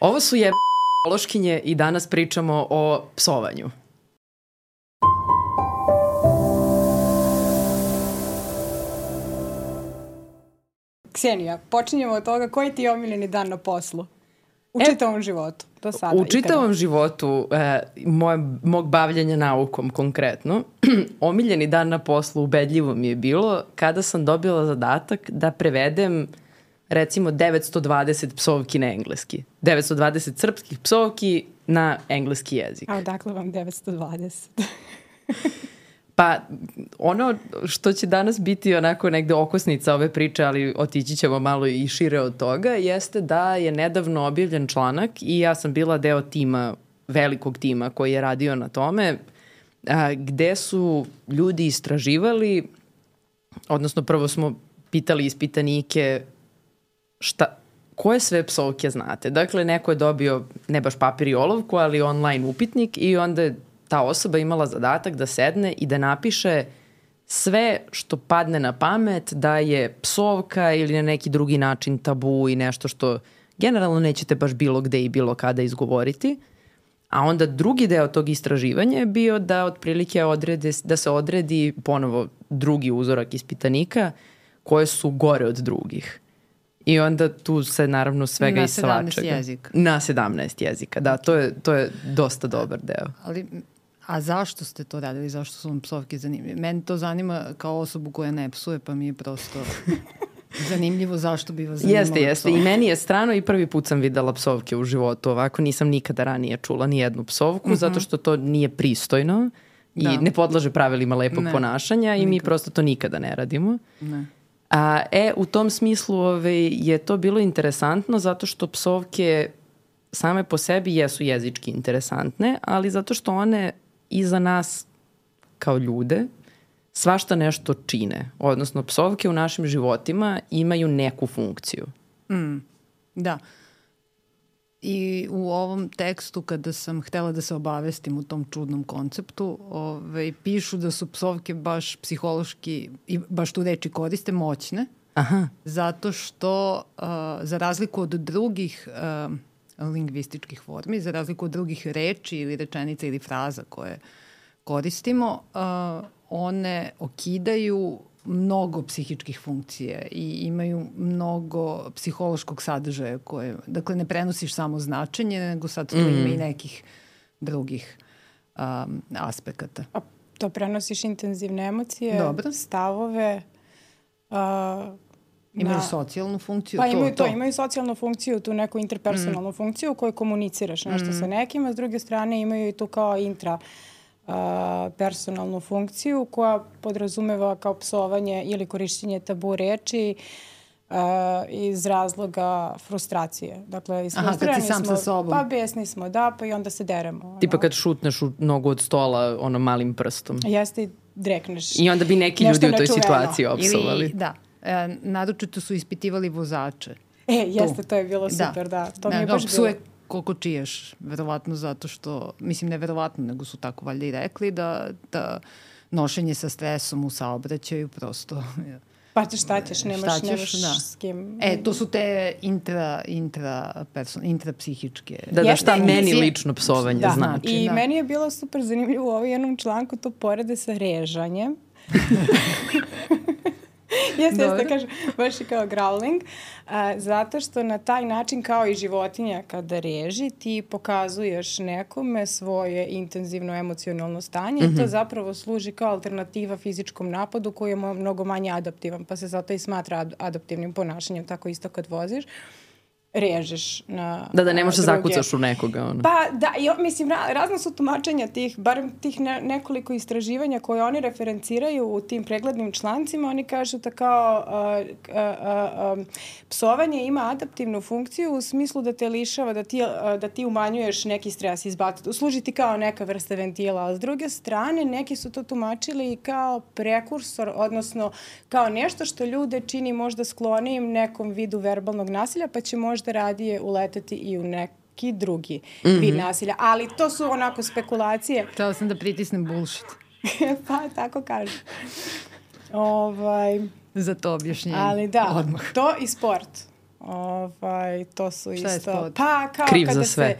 Ovo su psihološkinje i danas pričamo o psovanju. Ksenija, počinjemo od toga koji ti je omiljeni dan na poslu? U čitavom životu, do sada. U čitavom životu mog bavljanja naukom konkretno, omiljeni dan na poslu ubedljivo mi je bilo kada sam dobila zadatak da prevedem recimo 920 psovki na engleski. 920 srpskih psovki na engleski jezik. A odakle vam 920? Pa ono što će danas biti onako negde okosnica ove priče, ali otići ćemo malo i šire od toga, jeste da je nedavno objavljen članak i ja sam bila deo tima, velikog tima koji je radio na tome, gde su ljudi istraživali, odnosno prvo smo pitali ispitanike koje sve psovke znate. Dakle, neko je dobio ne baš papir i olovku, ali online upitnik i onda je ta osoba imala zadatak da sedne i da napiše sve što padne na pamet da je psovka ili na neki drugi način tabu i nešto što generalno nećete baš bilo gde i bilo kada izgovoriti. A onda drugi deo tog istraživanja je bio da otprilike da se odredi ponovo drugi uzorak ispitanika koje su gore od drugih. I onda tu se naravno svega i svačega. Na 17 jezika. Na 17 jezika, da. To je dosta dobar deo. A zašto ste to radili? Zašto su vam psovke zanimljive? Meni to zanima kao osobu koja ne psuje, pa mi je prosto zanimljivo zašto bi vas zanimalo. Jeste. I meni je strano i prvi put sam videla psovke u životu. Ovako nisam nikada ranije čula ni jednu psovku, zato što to nije pristojno i ne podlaže pravilima lepog ponašanja i mi prosto to nikada ne radimo. Ne. U tom smislu je to bilo interesantno zato što psovke same po sebi jesu jezički interesantne, ali zato što one i za nas kao ljude svašta nešto čine. Odnosno, psovke u našim životima imaju neku funkciju. Da. I u ovom tekstu kada sam htela da se obavestim u tom čudnom konceptu, pišu da su psovke baš psihološki, i baš tu reči koriste, moćne. Aha. Zato što za razliku od drugih lingvističkih formi, za razliku od drugih reči ili rečenica ili fraza koje koristimo, one okidaju mnogo psihičkih funkcije i imaju mnogo psihološkog sadržaja koje, dakle, ne prenosiš samo značenje, nego sad tu ima i nekih drugih aspekata. A to prenosiš intenzivne emocije, stavove, imaju socijalnu funkciju. Pa imaju socijalnu funkciju, tu neku interpersonalnu funkciju u kojoj komuniciraš nešto sa nekim, a s druge strane imaju i tu kao personalnu funkciju koja podrazumeva kao psovanje ili korišćenje tabu reči iz razloga frustracije. Dakle, kad si sam sa sobom. Pa besni smo, pa i onda se deremo. Tipa kad šutneš u nogu od stola malim prstom. Jeste i drekneš. I onda bi neki ljudi u toj situaciji opsovali. Naročito su ispitivali vozače. Jeste, to je bilo super, da. To mi je baš bilo. Koliko čiješ, verovatno zato što, mislim ne verovatno, nego su tako valjda i rekli da nošenje sa stresom u saobraćaju prosto... Pa šta ćeš, nemaš s kim... To su te intrapsihičke... Da, šta meni lično psovanje znači. I meni je bilo super zanimljivo u ovom jednom članku to porede sa režanjem. Jeste, kažem, baš i kao growling, zato što na taj način kao i životinja kada reži ti pokazuješ nekome svoje intenzivno emocionalno stanje i to zapravo služi kao alternativa fizičkom napadu koji je mnogo manje adaptivan, pa se zato i smatra adaptivnim ponašanjem, tako isto kad voziš. Režeš na da ne možeš da zakucaš u nekoga. Pa da, mislim, razno su tumačenja barem tih nekoliko istraživanja koje oni referenciraju u tim preglednim člancima. Oni kažu da kao psovanje ima adaptivnu funkciju u smislu da te lišava, da ti umanjuješ neki stres, služi ti kao neka vrsta ventila. A s druge strane, neki su to tumačili kao prekursor, odnosno kao nešto što ljude čini možda sklonijim nekom vidu verbalnog nasilja, pa će možda radije uleteti i u neki drugi vid nasilja. Ali to su onako spekulacije. Htela sam da pritisnem bullshit. Pa, tako kažem. Za to objašnjenje. Ali da, odmah. To i sport. To su Šta je isto... sport? Pa kao Kriv kada za sve.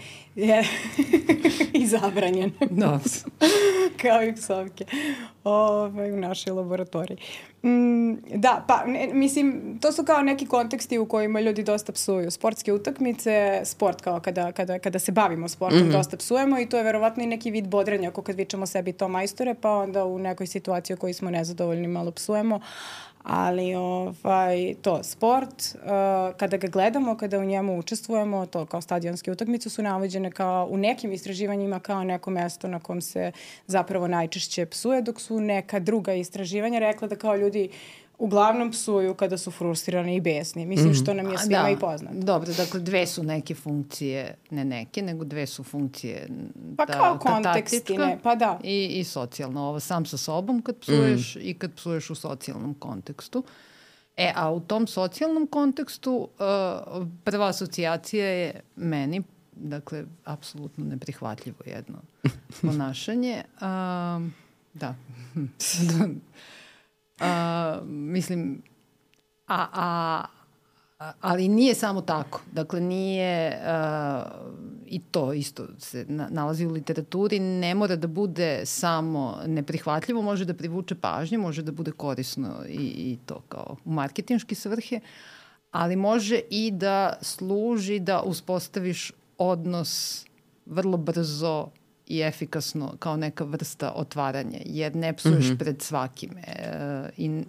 I zabranjen. Da. Kao i psovke u našoj laboratoriji. Da, pa mislim, to su kao neki konteksti u kojima ljudi dosta psuju. Sportske utakmice, sport kao kada se bavimo sportom, dosta psujemo i to je verovatno i neki vid bodrenja, ako kad vičemo sebi to majstore, pa onda u nekoj situaciji u kojoj smo nezadovoljni malo psujemo. Ali to sport, kada ga gledamo, kada u njemu učestvujemo, to kao stadionske utakmice su navođene kao u nekim istraživanjima kao neko mesto na kom se zapravo najčešće psuje, dok su neka druga istraživanja rekla da kao ljudi uglavnom psuju kada su frustrirani i besni. Mislim što nam je svima i poznato. Dobro, dakle dve su neke funkcije, ne neke, nego dve su funkcije. Pa kao kontekstine, pa da. I socijalno. Ovo sam sa sobom kad psuješ i kad psuješ u socijalnom kontekstu. A u tom socijalnom kontekstu prva asocijacija je meni, dakle, apsolutno neprihvatljivo jedno ponašanje. Da. Mislim, ali nije samo tako. Dakle, nije, i to isto se nalazi u literaturi, ne mora da bude samo neprihvatljivo, može da privuče pažnju, može da bude korisno i to kao u marketinške svrhe, ali može i da služi da uspostaviš odnos vrlo brzo i efikasno kao neka vrsta otvaranja, jer ne psuješ pred svakime i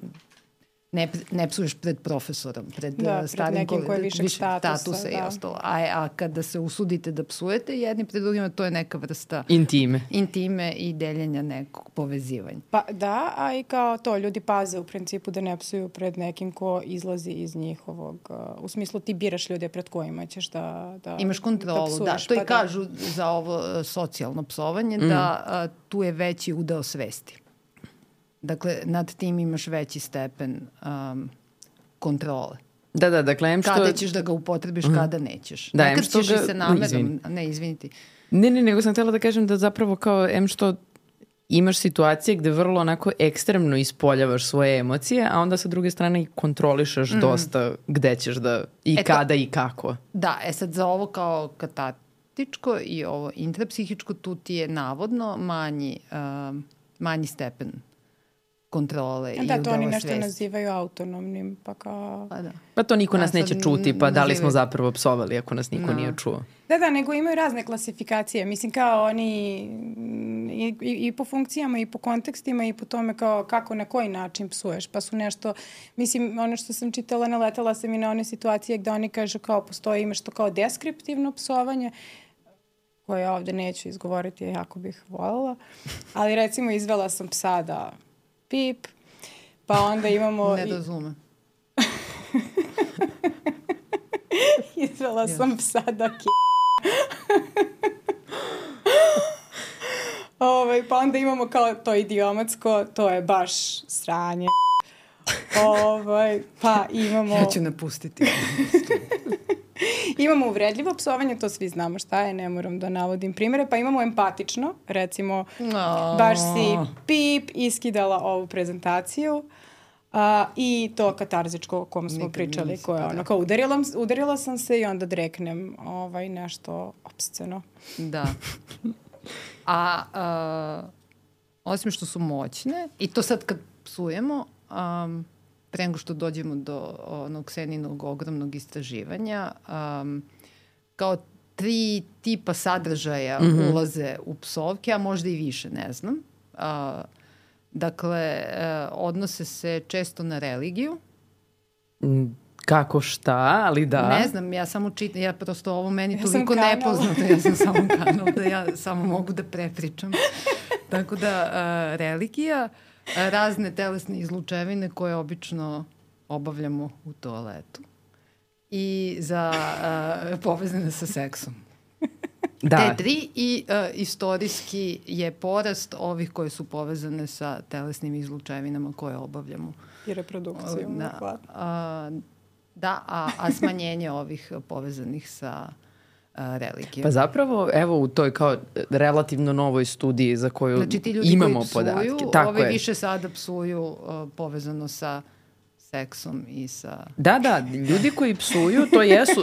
ne psuješ pred profesorom, pred starim nekim koji je višeg statusa i ostalo. A kada se usudite da psujete jedni pred drugima, to je neka vrsta intime i deljenja nekog povezivanja. Pa da, a i kao to, ljudi paze u principu da ne psuju pred nekim ko izlazi iz njihovog, u smislu ti biraš ljude pred kojima ćeš da imaš kontrolu, da. To i kažu za ovo socijalno psovanje, da tu je veći udeo svesti. Dakle, nad tim imaš veći stepen kontrole. Da, dakle, kada ćeš da ga upotrebiš, kada nećeš. Da, nekad ćeš i se namerom... Ne, izviniti. Ne, nego sam htjela da kažem da zapravo kao što imaš situacije gde vrlo onako ekstremno ispoljavaš svoje emocije, a onda sa druge strane i kontrolišeš dosta gde ćeš da i kada i kako. Da, sad za ovo kao katartičko i ovo intrapsihičko, tu ti je navodno manji stepen kontrole i udela svesti. Da, to oni nešto nazivaju autonomnim, pa kao... Pa to niko nas neće čuti, pa da li smo zapravo psovali ako nas niko nije čuo. Da, nego imaju razne klasifikacije. Mislim, kao oni i po funkcijama, i po kontekstima, i po tome kao kako, na koji način psuješ. Pa su nešto, mislim, ono što sam čitala, naletala sam i na one situacije gde oni kažu kao postoji, imaš to kao deskriptivno psovanje, koje ja ovde neću izgovoriti, jako bih voljela. Ali recimo izvela sam psa da pip, pa onda imamo... Ne razume. Izvela sam psa da pa onda imamo kao to idiomatsko, to je baš sranje. Pa imamo... Ja ću napustiti. Imamo uvredljivo psovanje, to svi znamo šta je, ne moram da navodim primere, pa imamo empatično, recimo, baš si pip, iskidala ovu prezentaciju i to katarzičko o kom smo pričali, koje je ono, kao udarila sam se i onda dreknem nešto opsceno. Da. Osim što su moćne, i to sad kad psujemo, pre nego što dođemo do onog Seninog ogromnog istraživanja, kao 3 tipa sadržaja ulaze u psovke, a možda i više, ne znam. Dakle, odnose se često na religiju. Kako šta, ali da. Ne znam, ja samo čitam, ja prosto ovo meni toliko nepoznato, ja sam samo kanal, da ja samo mogu da prepričam. Tako da, religija, razne telesne izlučevine koje obično obavljamo u toaletu i za povezane sa seksom. Da. Te 3 i istorijski je porast ovih koje su povezane sa telesnim izlučevinama koje obavljamo. I reprodukciju. A smanjenje ovih povezanih sa religijom. Pa zapravo, evo u toj kao relativno novoj studiji za koju imamo podatke. Znači ti ljudi koji psuju, ovi više sada psuju povezano sa seksom i sa... Da, ljudi koji psuju,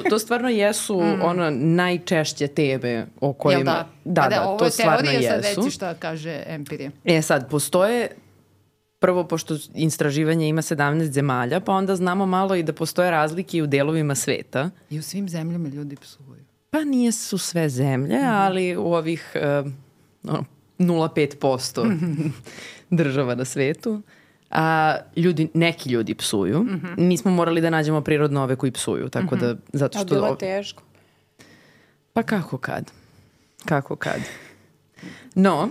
to stvarno jesu ono najčešće teme o kojima... Da, ovo to je stvarno teorija, jesu. sad reci šta kaže empirija. Sad, postoje, prvo, pošto istraživanje ima 17 zemalja, pa onda znamo malo i da postoje razlike i u delovima sveta. I u svim zemljama ljudi psuju. Pa nije su sve zemlje, ali u ovih 0,5% država na svetu. Neki ljudi psuju. Mi smo morali da nađemo prirodno ove koji psuju, tako da, zato što... A bilo teško. Pa kako kad. No,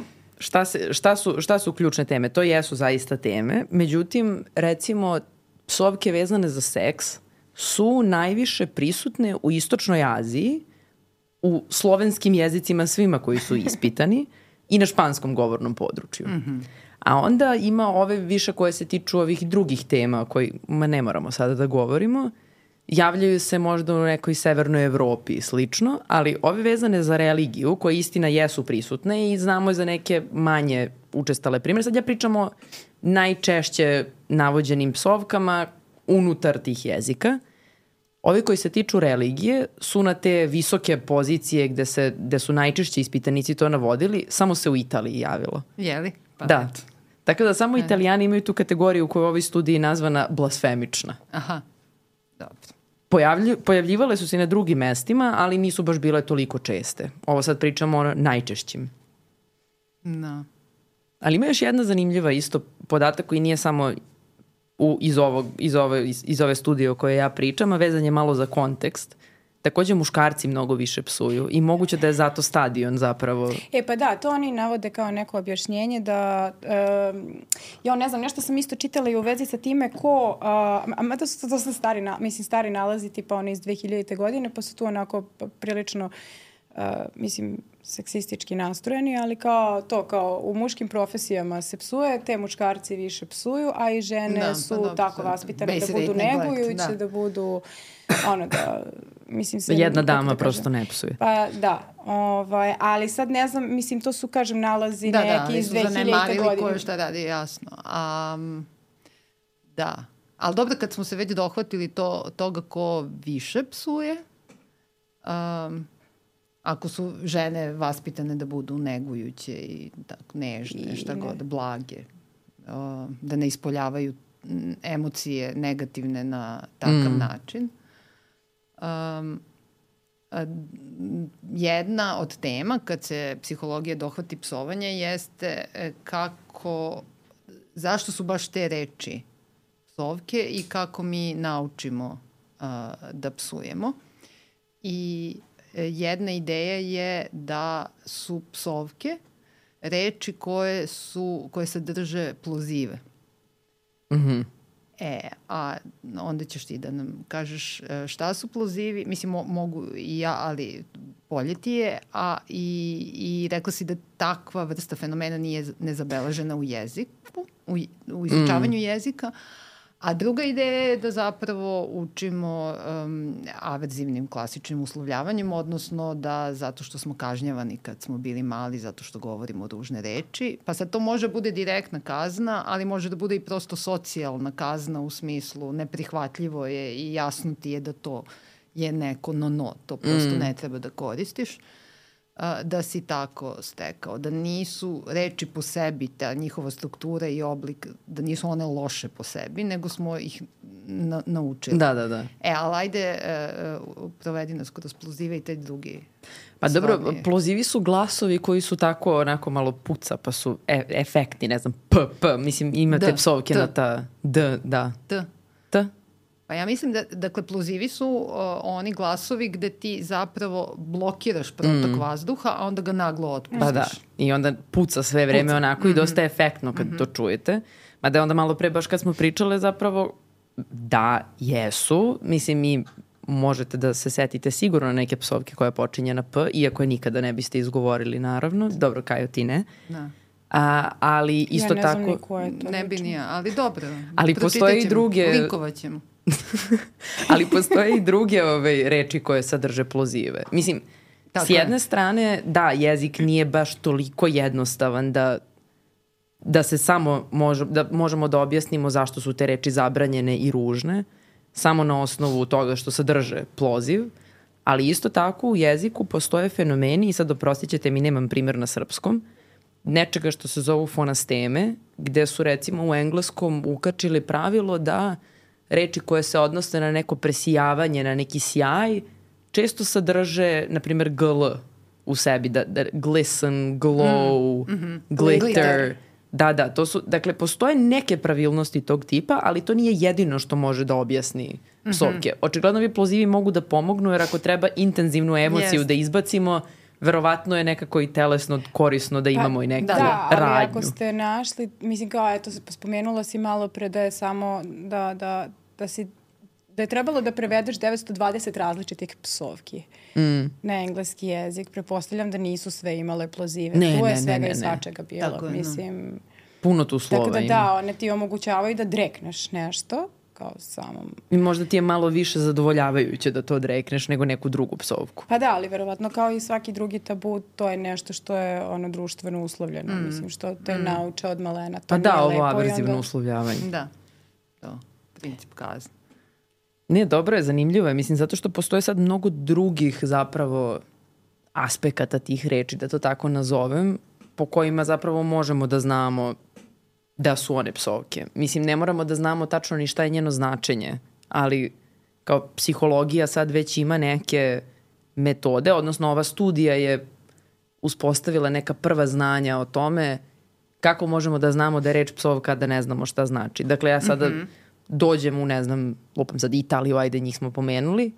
šta su ključne teme? To jesu zaista teme. Međutim, recimo, psovke vezane za seks su najviše prisutne u Istočnoj Aziji, u slovenskim jezicima svima koji su ispitani i na španskom govornom području. A onda ima ove više koje se tiču ovih drugih tema o kojima ne moramo sada da govorimo. Javljaju se možda u nekoj severnoj Evropi i slično, ali ove vezane za religiju, koje istina jesu prisutne i znamo za neke manje učestale primjere. Sad ja pričam o najčešće navođenim psovkama unutar tih jezika. Ovi koji se tiču religije su na te visoke pozicije gde su najčešće ispitanici to navodili, samo se u Italiji javilo. Jeli? Pa da. Tako da samo Italijani imaju tu kategoriju koja je u ovoj studiji nazvana blasfemična. Aha, dobro. Pojavljivale su se na drugim mestima, ali nisu baš bile toliko česte. Ovo sad pričamo o najčešćim. No. Ali ima još jedna zanimljiva isto podatak koji nije samo iz ove studije o kojoj ja pričam, a vezan je malo za kontekst. Takođe muškarci mnogo više psuju i moguće da je zato stadion zapravo. Pa da, to oni navode kao neko objašnjenje da, ja ne znam, nešto sam isto čitala i u vezi sa time mada su to stari nalazi, tipa one iz 2000. godine, pa su tu onako prilično, seksistički nastrojeni, ali kao u muškim profesijama se psuje, te muškarci više psuju, a i žene su tako vaspitane da budu negujuće, da budu jedna dama prosto ne psuje. Pa da, ali sad ne znam, to su, kažem, nalazi neki iz 2000. godine. Koje šta radi, jasno. Da, ali dobro, kad smo se već dohvatili toga ko više psuje, ako su žene vaspitane da budu negujuće i tako nežne, šta god, blage, da ne ispoljavaju emocije negativne na takav način. Jedna od tema kad se psihologija dohvati psovanja jeste zašto su baš te reči psovke i kako mi naučimo da psujemo. I jedna ideja je da su psovke reči koje sadrže plozive. A onda ćeš ti da nam kažeš šta su plozivi. Mislim, mogu i ja, ali bolje ti je. I rekla si da takva vrsta fenomena nije nezabeležena u jeziku, u izučavanju jezika. A druga ideja je da zapravo učimo averzivnim klasičnim uslovljavanjem, odnosno da zato što smo kažnjavani kad smo bili mali, zato što govorimo ružne reči. Pa sad to može bude direktna kazna, ali može da bude i prosto socijalna kazna u smislu neprihvatljivo je i jasno ti je da to je neko no, to prosto ne treba da koristiš. Da si tako stekao, da nisu reči po sebi, ta njihova struktura i oblik, da nisu one loše po sebi, nego smo ih naučili. Da. Ali ajde, provedi nas kroz plozive i te drugi. Pa dobro, plozivi su glasovi koji su tako onako malo puca, pa su efektni, ne znam, p, mislim imate psovke na ta da. T. Pa ja mislim da, dakle, plozivi su oni glasovi gde ti zapravo blokiraš protok vazduha, a onda ga naglo otpustiš. Pa da, i onda puca sve vreme onako i dosta efektno kad to čujete. Mada onda malo pre, baš kad smo pričale, zapravo da, jesu. Mislim, i možete da se setite sigurno na neke psovke koja počinje na p, iako je nikada ne biste izgovorili, naravno. Dobro, Kajo, ti ne. Da. Ali isto tako... Ja ne znam ni ko je to. Ne bi nije, ali dobro. Ali postoje i druge... Linkovat ćemo. Ali postoje i druge reči koje sadrže plozive. Mislim, s jedne strane, da, jezik nije baš toliko jednostavan da da se samo da možemo da objasnimo zašto su te reči zabranjene i ružne, samo na osnovu toga što sadrže ploziv, ali isto tako u jeziku postoje fenomeni, i sad oprostit ćete mi, nemam primjer na srpskom, nečega što se zovu fonasteme, gde su recimo u engleskom ukačili pravilo da reči koje se odnose na neko presijavanje, na neki sjaj, često sadrže, na primjer, gl u sebi, da glisten, glow, glitter. Da, to su, dakle, postoje neke pravilnosti tog tipa, ali to nije jedino što može da objasni psovke. Očigledno ovi plozivi mogu da pomognu, jer ako treba intenzivnu emociju da izbacimo, verovatno je nekako i telesno korisno da imamo i neku radnju. Da, ali ako ste našli, mislim kao, eto, spomenula si malo pre da je samo da je trebalo da prevedeš 920 različitih psovki na engleski jezik. Prepostavljam da nisu sve imale plozive. Tu je svega i svačega bilo. Tako, mislim, puno tu slova ima. Tako da, one ti omogućavaju da drekneš nešto kao samom. I možda ti je malo više zadovoljavajuće da to odrekneš nego neku drugu psovku. Pa da, ali verovatno kao i svaki drugi tabu, to je nešto što je društveno uslovljeno. Mislim, što te nauče od malena. To pa da, ovo averzivno uslovljavanje. Da, to, princip kazne. Nije, dobro je, zanimljivo je, mislim, zato što postoje sad mnogo drugih zapravo aspekata tih reči, da to tako nazovem, po kojima zapravo možemo da znamo da su one psovke. Mislim, ne moramo da znamo tačno ni šta je njeno značenje, ali kao psihologija sad već ima neke metode, odnosno ova studija je uspostavila neka prva znanja o tome kako možemo da znamo da je reč psovka da ne znamo šta znači. Dakle, ja sada dođem u, ne znam, lupam sad Italiju, ajde njih smo pomenuli,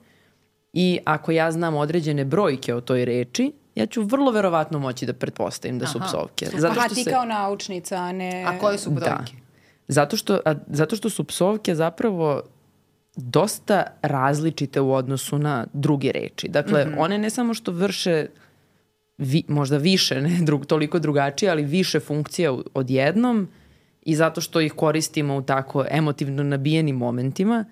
i ako ja znam određene brojke o toj reči, ja ću vrlo verovatno moći da pretpostavim da su psovke. Ti kao naučnica, a ne... A koje su brojke? Da. Zato što su psovke zapravo dosta različite u odnosu na druge reči. Dakle, one ne samo što vrše možda više, ne toliko drugačije, ali više funkcija odjednom, i zato što ih koristimo u tako emotivno nabijenim momentima,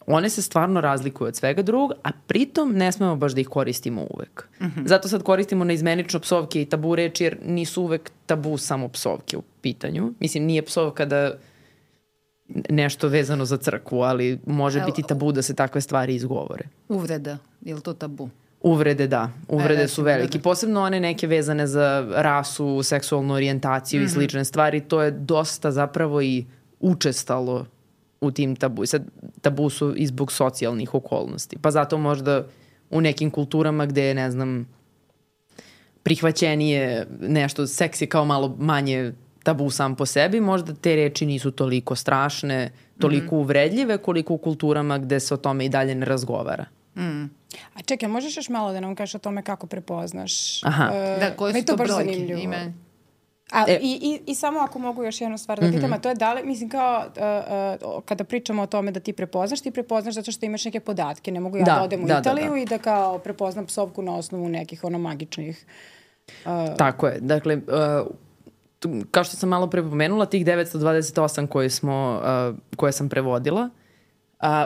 one se stvarno razlikuju od svega drugog, a pritom ne smemo baš da ih koristimo uvek. Zato sad koristimo neizmenično psovke i tabu reči, jer nisu uvek tabu samo psovke u pitanju. Mislim, nije psovka da nešto vezano za crkvu, ali može biti tabu da se takve stvari izgovore. Uvreda, je li to tabu? Uvrede, da. Uvrede su veliki. Posebno one neke vezane za rasu, seksualnu orijentaciju i slične stvari. To je dosta zapravo i učestalo u tim tabu. Sad, tabu su i zbog socijalnih okolnosti. Pa zato možda u nekim kulturama gde je, ne znam, prihvaćenije nešto, seks je kao malo manje tabu sam po sebi, možda te reči nisu toliko strašne, toliko uvredljive, koliko u kulturama gde se o tome i dalje ne razgovara. A čekaj, možeš još malo da nam kažeš o tome kako prepoznaš? Da, koje su to brojke? I samo ako mogu još jednu stvar da pitam, a to je da li, mislim kao kada pričamo o tome da ti prepoznaš zato što imaš neke podatke. Ne mogu ja da odem u Italiju i da kao prepoznam psovku na osnovu nekih magičnih... Tako je. Dakle, kao što sam malo prepomenula, tih 928 koje sam prevodila,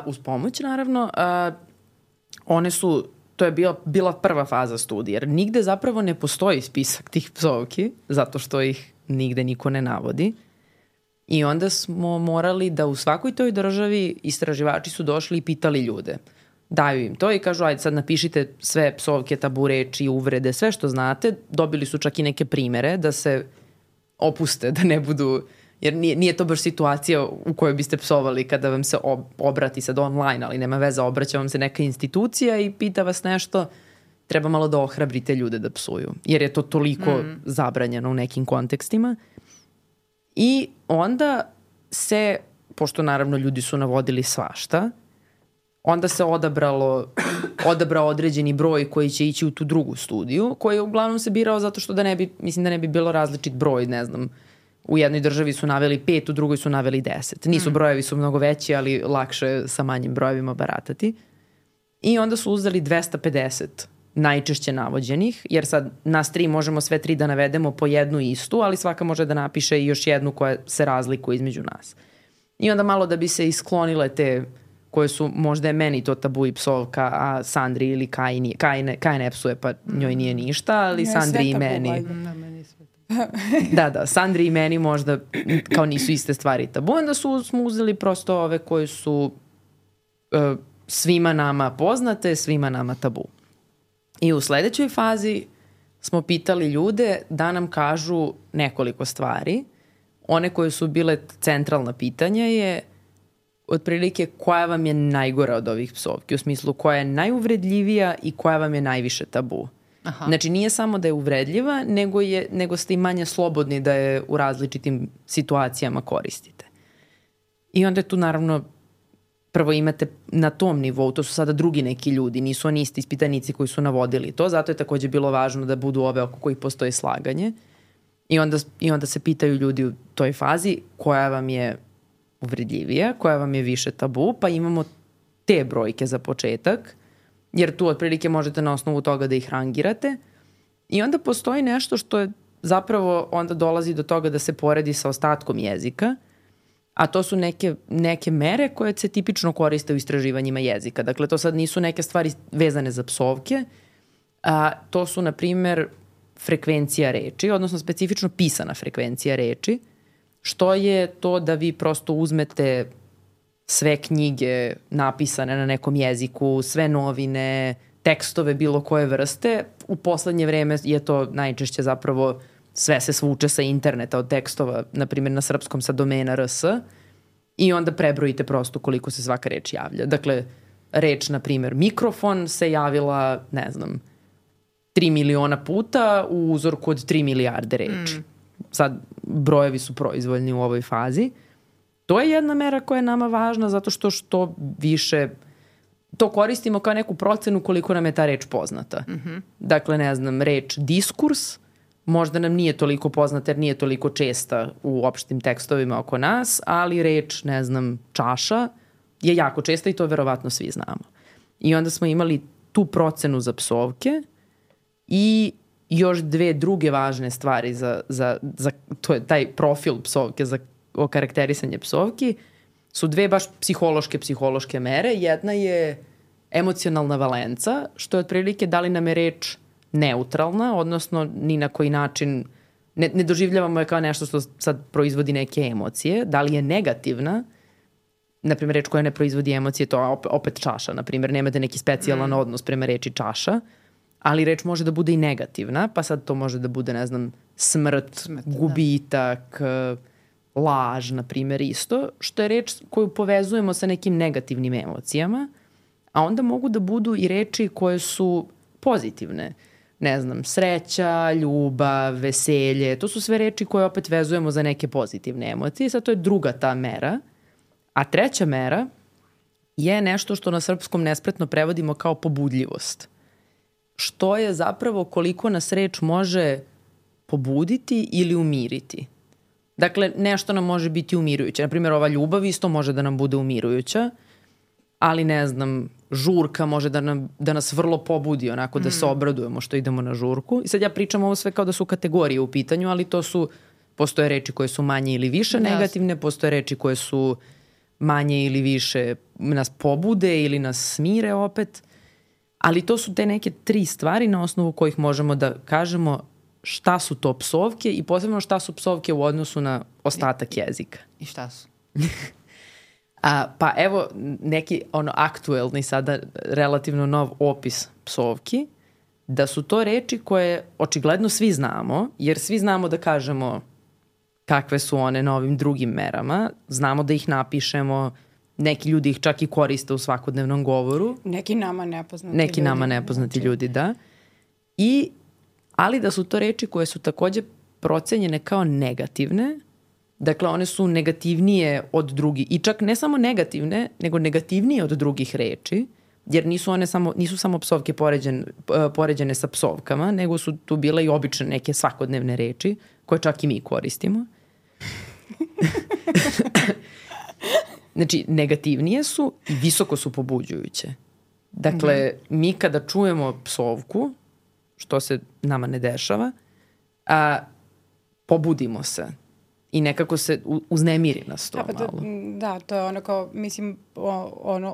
uz pomoć naravno, one su, to je bila prva faza studije, jer nigde zapravo ne postoji spisak tih psovki, zato što ih nigde niko ne navodi. I onda smo morali da u svakoj toj državi istraživači su došli i pitali ljude. Daju im to i kažu, ajde sad napišite sve psovke, tabu reči, uvrede, sve što znate. Dobili su čak i neke primere da se opuste, da ne budu... Jer nije to baš situacija u kojoj biste psovali kada vam se obrati sad online, ali nema veze, obraća vam se neka institucija i pita vas nešto, treba malo da ohrabrite ljude da psuju. Jer je to toliko zabranjeno u nekim kontekstima. I onda se, pošto naravno ljudi su navodili svašta, onda se odabrao određeni broj koji će ići u tu drugu studiju, koji je uglavnom se birao zato što da ne bi bilo različit broj, ne znam, u jednoj državi su naveli 5, u drugoj su naveli 10. Nisu brojevi su mnogo veći, ali lakše sa manjim brojevima baratati. I onda su uzeli 250 najčešće navođenih, jer sad nas 3 možemo sve 3 da navedemo po jednu istu, ali svaka može da napiše i još jednu koja se razlikuje između nas. I onda malo da bi se isklonile te koje su, možda je meni to tabu i psovka, a Sandri ili Kaj ne psuje, pa njoj nije ništa, ali Sandri i meni. Da, Sandri i meni možda kao nisu iste stvari tabu. Onda smo uzeli prosto ove koje su svima nama poznate, svima nama tabu. I u sledećoj fazi smo pitali ljude da nam kažu nekoliko stvari. One koje su bile centralna pitanja je otprilike koja vam je najgora od ovih psovki, u smislu koja je najuvredljivija i koja vam je najviše tabu. Aha. Znači nije samo da je uvredljiva, nego ste i manje slobodni da je u različitim situacijama koristite. I onda je tu naravno prvo imate na tom nivou, to su sada drugi neki ljudi, nisu oni isti ispitanici koji su navodili to, zato je takođe bilo važno da budu ove oko kojih postoje slaganje. I onda se pitaju ljudi u toj fazi koja vam je uvredljivija, koja vam je više tabu, pa imamo te brojke za početak, jer tu otprilike možete na osnovu toga da ih rangirate. I onda postoji nešto što je zapravo onda dolazi do toga da se poredi sa ostatkom jezika, a to su neke mere koje se tipično koriste u istraživanjima jezika. Dakle, to sad nisu neke stvari vezane za psovke, a to su, na primer, frekvencija reči, odnosno specifično pisana frekvencija reči, što je to da vi prosto uzmete sve knjige napisane na nekom jeziku, sve novine, tekstove bilo koje vrste. U poslednje vreme je to najčešće zapravo sve se svuče sa interneta od tekstova, na primjer na srpskom sa domena RS, i onda prebrojite prosto koliko se svaka reč javlja. Dakle, reč, na primjer, mikrofon se javila, 3 miliona puta u uzorku od 3 milijarde reči. Sad, brojevi su proizvoljni u ovoj fazi. To je jedna mera koja je nama važna zato što više to koristimo kao neku procenu koliko nam je ta reč poznata. Dakle, reč diskurs možda nam nije toliko poznata jer nije toliko česta u opštim tekstovima oko nas, ali reč, čaša je jako česta i to verovatno svi znamo. I onda smo imali tu procenu za psovke i još dve druge važne stvari za to je taj profil psovke, za okarakterisanje psovki, su dve baš psihološke mere. Jedna je emocionalna valenca, što je otprilike da li nam je reč neutralna, odnosno ni na koji način ne doživljavamo je kao nešto što sad proizvodi neke emocije. Da li je negativna, na primjer reč koja ne proizvodi emocije, to je opet čaša, na primjer, nemate neki specijalan odnos prema reči čaša, ali reč može da bude i negativna, pa sad to može da bude, smrt, gubitak, laž, na primjer, isto, što je reč koju povezujemo sa nekim negativnim emocijama, a onda mogu da budu i reči koje su pozitivne. Sreća, ljubav, veselje, to su sve reči koje opet vezujemo za neke pozitivne emocije. Sad to je druga ta mera. A treća mera je nešto što na srpskom nespretno prevodimo kao pobudljivost. Što je zapravo koliko nas reč može pobuditi ili umiriti. Dakle, nešto nam može biti umirujuće. Naprimjer, ova ljubav isto može da nam bude umirujuća, ali žurka može da nas vrlo pobudi, onako da se obradujemo što idemo na žurku. I sad ja pričam ovo sve kao da su kategorije u pitanju, ali postoje reči koje su manje ili više negativne, postoje reči koje su manje ili više nas pobude ili nas smire opet. Ali to su te neke 3 stvari na osnovu kojih možemo da kažemo šta su to psovke i posebno šta su psovke u odnosu na ostatak jezika. I šta su? Pa evo neki aktuelni sada relativno nov opis psovki, da su to reči koje očigledno svi znamo, jer svi znamo da kažemo kakve su one na ovim drugim merama, znamo da ih napišemo, neki ljudi ih čak i koriste u svakodnevnom govoru. Neki nama nepoznati ljudi, da. Ali da su to reči koje su takođe procenjene kao negativne, dakle one su negativnije od drugih i čak ne samo negativne, nego negativnije od drugih reči, jer nisu samo psovke poređene sa psovkama, nego su tu bile i obične neke svakodnevne reči koje čak i mi koristimo. Znači, negativnije su i visoko su pobuđujuće. Dakle, mi kada čujemo psovku, što se nama ne dešava, pobudimo se i nekako se uznemiri nas to malo. Da, to je ono kao, mislim,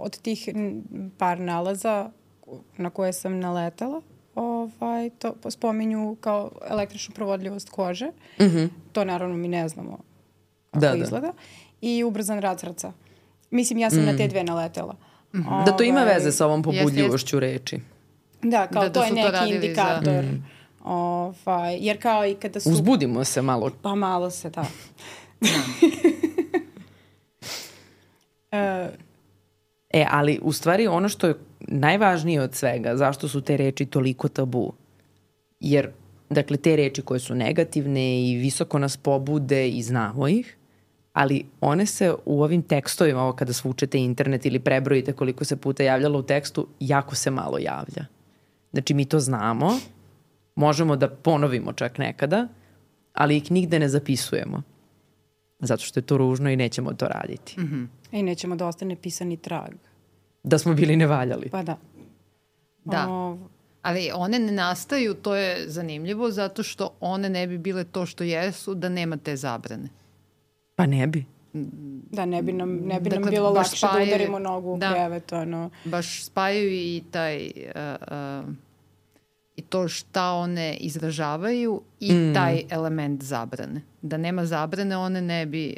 od tih par nalaza na koje sam naletala, to spominju kao električnu provodljivost kože. To naravno mi ne znamo kako izgleda. I ubrzan rad srca. Mislim, ja sam na te dve naletela. Da to ima veze sa ovom pobudljivošću reči. Da, kao to je neki indikator. Jer kao i kada su... Uzbudimo se malo. Pa malo se, da. Ali u stvari ono što je najvažnije od svega, zašto su te reči toliko tabu? Jer, dakle, te reči koje su negativne i visoko nas pobude i znamo ih, ali one se u ovim tekstovima, ovo kada svučete internet ili prebrojite koliko se puta javljalo u tekstu, jako se malo javlja. Znači, mi to znamo, možemo da ponovimo čak nekada, ali ih nigde ne zapisujemo. Zato što je to ružno i nećemo to raditi. I nećemo da ostane pisani trag. Da smo bili nevaljali. Pa da. Da. Ali one ne nastaju, to je zanimljivo, zato što one ne bi bile to što jesu da nema te zabrane. Pa ne bi. Da, ne bi nam bilo lakše da udarimo nogu u krevet. Baš spajaju i taj... i to šta one izražavaju i taj element zabrane. Da nema zabrane, one ne bi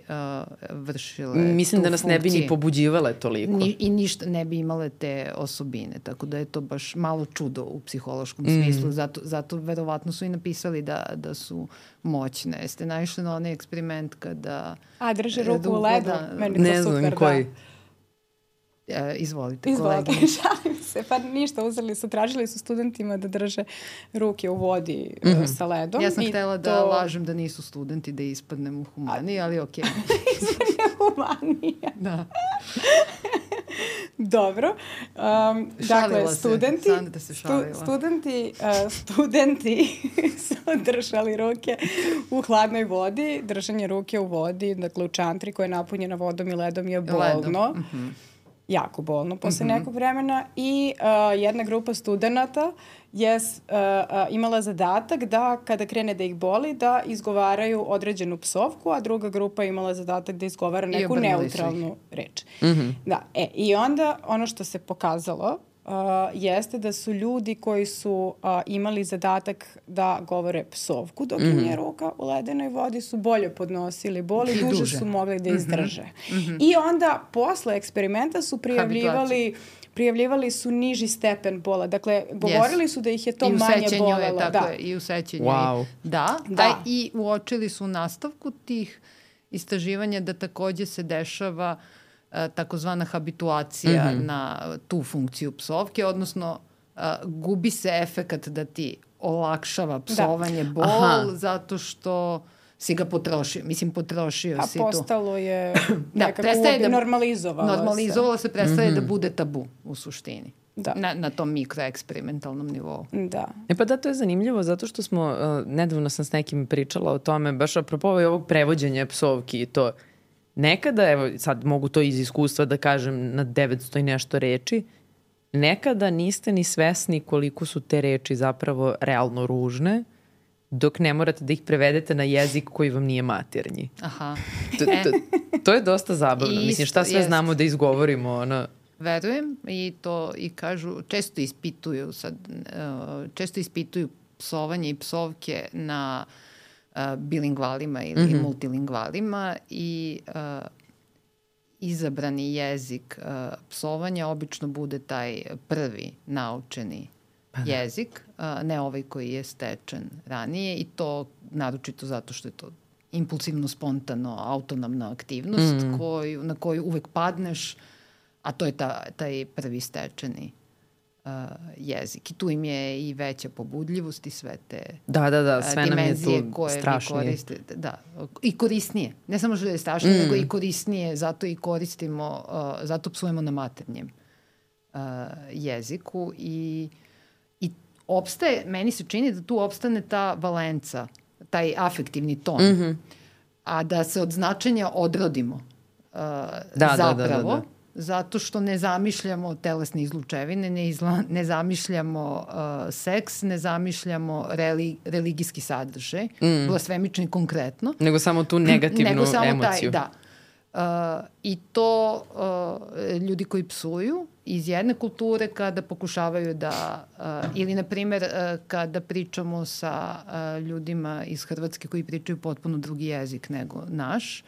vršile Mislim da nas funkciju. ne bi ni pobuđivale toliko. I ništa ne bi imale te osobine. Tako da je to baš malo čudo u psihološkom smislu. Zato verovatno su i napisali da su moćne. Jeste naišli na onaj eksperiment kada... drže ruku u ledu. Meni ne znam koji. Izvolite, kolegine. Šalim se. Pa ništa, tražili su studentima da drže ruke u vodi sa ledom. Ja sam htjela da lažem da nisu studenti, da ispadnem u humaniji, ali okej. Humanija. Da. Dobro. Dakle, studenti su držali ruke u hladnoj vodi. Držanje ruke u vodi, dakle u čantri koja je napunjena vodom i ledom je bolno. Jako bolno posle nekog vremena i jedna grupa studenata je imala zadatak da kada krene da ih boli da izgovaraju određenu psovku, a druga grupa imala zadatak da izgovara neku neutralnu reč. Da, i onda ono što se pokazalo jeste da su ljudi koji su imali zadatak da govore psovku dok im je ruka u ledenoj vodi su bolje podnosili bol i duže su mogli da izdrže. I onda posle eksperimenta su prijavljivali su niži stepen bola. Dakle, govorili su da ih je to manje bolelo. I u sećenju. Wow. Da. I uočili su u nastavku tih istraživanja da takođe se dešava takozvana habituacija na tu funkciju psovke, odnosno gubi se efekat da ti olakšava psovanje bol zato što si ga potrošio. Mislim, potrošio si tu. A postalo je nekako normalizovalo se. Prestaje da bude tabu u suštini. Na tom mikroeksperimentalnom nivou. Da. Pa da, to je zanimljivo zato što smo, nedavno sam s nekim pričala o tome, baš apropo ovog prevođenja psovki i to. Nekada, evo sad mogu to iz iskustva da kažem na 900 i nešto reči, nekada niste ni svesni koliko su te reči zapravo realno ružne, dok ne morate da ih prevedete na jezik koji vam nije maternji. Aha. To je dosta zabavno. Mislim, šta sve znamo da izgovorimo, Verujem i to i kažu, često ispituju psovanje i psovke na bilingvalima ili multilingvalima i izabrani jezik psovanja obično bude taj prvi naučeni jezik, ne ovaj koji je stečen ranije i to naročito zato što je to impulsivno, spontano, autonomna aktivnost na koju uvek padneš, a to je taj prvi stečeni jezik. I tu im je i veća pobudljivost i sve te sve dimenzije nam je tu strašnije. koristite. Da, i korisnije. Ne samo što je strašnije, nego i korisnije. Zato i koristimo, zato psujemo na maternjem jeziku i opstaje, meni se čini da tu opstane ta valenca, taj afektivni ton. A da se od značenja odrodimo zapravo. Zato što ne zamišljamo telesne izlučevine, ne zamišljamo seks, ne zamišljamo religijski sadržaj, blasfemični konkretno. Nego samo tu negativnu emociju. I to ljudi koji psuju iz jedne kulture kada pokušavaju da, ili na primjer kada pričamo sa ljudima iz Hrvatske koji pričaju potpuno drugi jezik nego naš,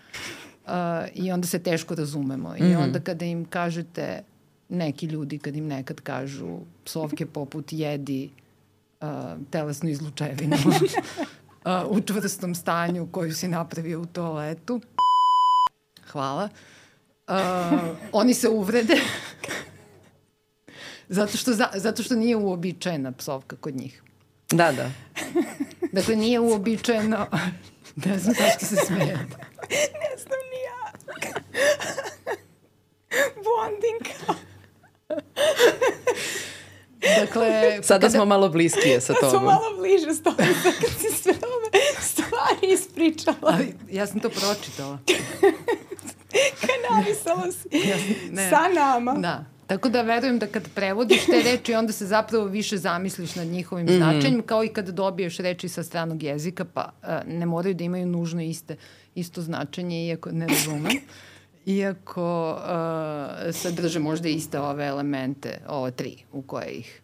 i onda se teško razumemo. I onda kada im kažete, neki ljudi kad im nekad kažu psovke poput jedi telesnu izlučevinu u čvrstom stanju koju si napravio u toaletu. Hvala. Oni se uvrede zato što nije uobičajena psovka kod njih. Da, da. Dakle, nije uobičajeno... Ne znam zašto se smijete. Ne znam ni ja. Bonding. Dakle... Sada smo malo bliskije sa tobom. Smo malo bliže s tobom kad si sve ove stvari ispričala. Ali ja sam to pročitala. Napisala si sa nama. Da. Tako da verujem da kad prevodiš te reči, onda se zapravo više zamisliš nad njihovim značenjem, kao i kad dobiješ reči sa stranog jezika, pa ne moraju da imaju nužno isto značenje, iako ne razumem. Iako sadrže možda iste ove elemente, ove 3 u koje ih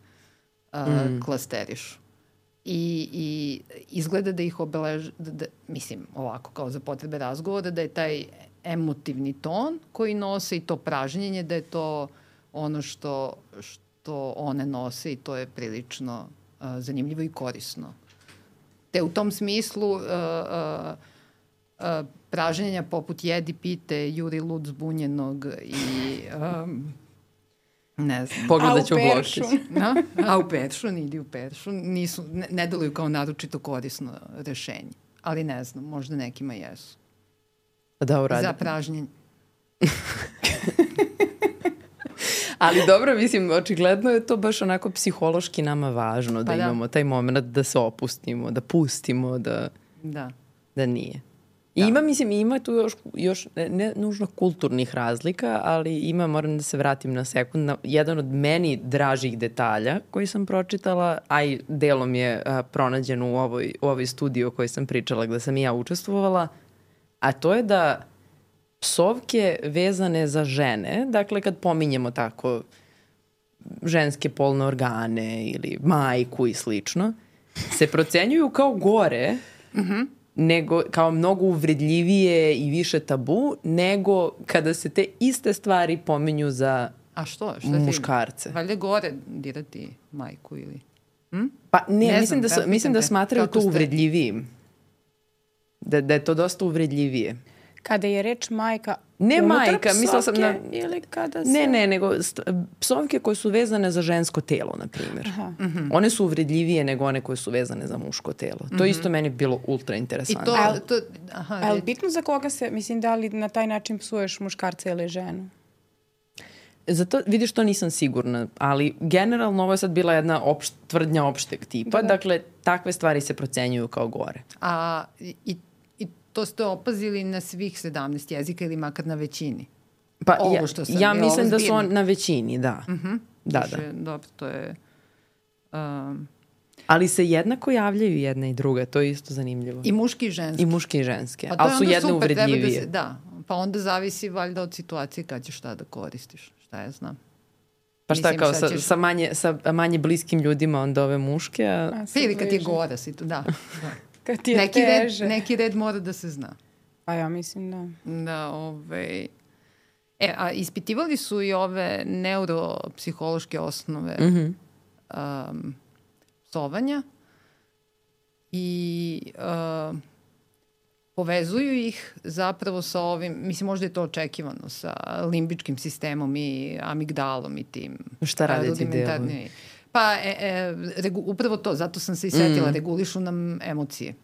klasterišu. I izgleda da ih mislim, ovako, kao za potrebe razgovora, da je taj emotivni ton koji nose i to pražnjenje, da je to ono što one nose i to je prilično zanimljivo i korisno. Te u tom smislu pražnjenja poput jedi, pite, juri lud zbunjenog i ne znam. Pogledat ću Bloškić. A u peršun, idi u peršun. Ne deluju kao naročito korisno rešenje. Ali ne znam, možda nekima jesu. Da, uradim. Za pražnjenje. Ali dobro, mislim, očigledno je to baš onako psihološki nama važno, da imamo taj moment da se opustimo, da pustimo, da nije. I ima tu još ne nužno kulturnih razlika, ali moram da se vratim na sekund, jedan od meni dražih detalja koji sam pročitala, a i delom je pronađen u ovoj studiji o kojoj sam pričala, gde sam i ja učestvovala, a to je da psovke vezane za žene, dakle kad pominjemo tako ženske polne organe ili majku i slično, se procenjuju kao gore, nego, kao mnogo uvredljivije i više tabu, nego kada se te iste stvari pominju za muškarce. Valjda gore dirati majku ili... Pa ne mislim da smatraju to uvredljivijim. Da je to dosta uvredljivije. Kada je reč majka mislila sam na... ili kada se... Ne, nego psovke koje su vezane za žensko telo, na primjer. One su uvredljivije nego one koje su vezane za muško telo. To isto meni bilo ultra interesantno. Ali bitno za koga se, mislim, da li na taj način psuješ muškarca ili ženu? Zato, vidiš, to nisam sigurna, ali generalno ovo je sad bila jedna tvrdnja opšteg tipa, dakle, takve stvari se procenjuju kao gore. I to ste opazili na svih 17 jezika ili makar na većini? Pa ja mislim da su na većini, da. Da. Dobro, to je... Ali se jednako javljaju jedna i druga, to je isto zanimljivo. I muški i ženski. I muški i ženske, ali su jedne uvredljivije. Pa onda zavisi valjda od situacije kad ćeš šta da koristiš, šta ja znam. Pa šta, kao sa manje bliskim ljudima onda ove muške? Ili kad je gora si tu, da. Kad ti je teže. Neki red mora da se zna. A ja mislim da. A ispitivali su i ove neuropsihološke osnove psovanja i povezuju ih zapravo sa ovim, mislim možda je to očekivano, sa limbičkim sistemom i amigdalom i tim. Šta rade ti delovi? Pa upravo to, zato sam se i setila, regulišu nam emocije.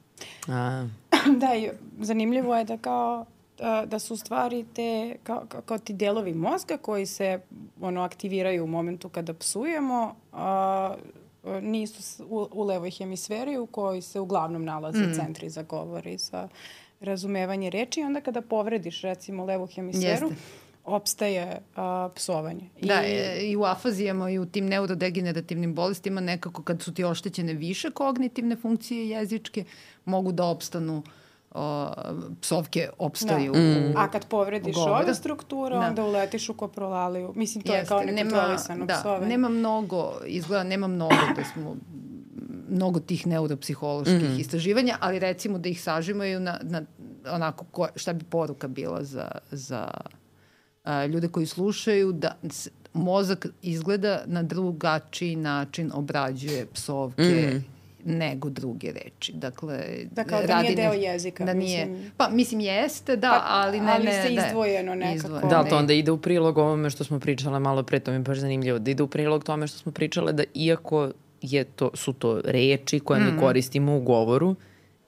Da, i zanimljivo je da kao da su stvari te kao ti delovi mozga koji se aktiviraju u momentu kada psujemo, nisu u levoj hemisferi u kojoj se uglavnom nalaze centri za govor i za razumevanje reči. I onda kada povrediš recimo levu hemisferu, opstaje psovanje. Da, i u afazijama i u tim neurodegenerativnim bolestima nekako kad su ti oštećene više kognitivne funkcije jezičke, mogu da opstanu psovke opstaju A kad povrediš ove strukture, onda uletiš u koprolaliju. Mislim, to je kao nekontrolisano psovanje. Nema mnogo da smo mnogo tih neuropsiholoških istraživanja, ali recimo da ih sažimaju na onako šta bi poruka bila za ljude koji slušaju, da mozak izgleda na drugačiji način obrađuje psovke nego druge reči. Dakle, da nije deo jezika. Da nije, mislim jeste, da, ali ne. Ali se izdvojeno nekako. Da, to onda ide u prilog ovome što smo pričale malo pre, to mi je baš zanimljivo, da ide u prilog tome što smo pričale da iako su to reči koje mi koristimo u govoru,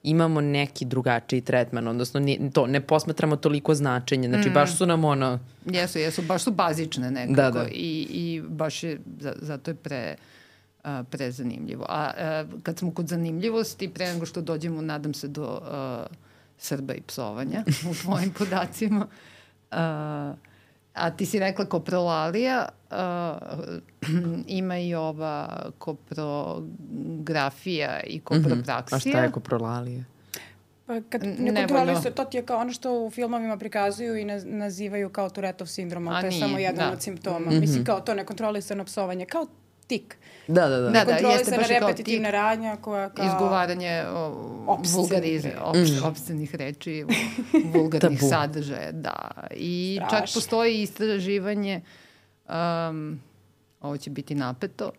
imamo neki drugačiji tretman, odnosno ne posmatramo toliko značenje, znači baš su nam ono... Jesu, baš su bazične nekako i baš je, zato je prezanimljivo. A kad smo kod zanimljivosti, pre nego što dođemo, nadam se, do Srba i psovanja u tvojim podacima, a ti si rekla koprolalija, ima i ova koprografija i kopropraksija. A šta je koprolalija? Pa kad ne kontroliš, to ti je kao ono što u filmovima prikazuju i nazivaju kao Tourettov sindrom, ali to je samo jedan od simptoma. Mislim, kao to nekontrolisano psovanje, kao tik. Da. Nekontrolisana repetitivna radnja koja kao... Izgovaranje opscenih reči, vulgarnih sadržaja, da. I čak postoji istraživanje, ovo će biti napeto,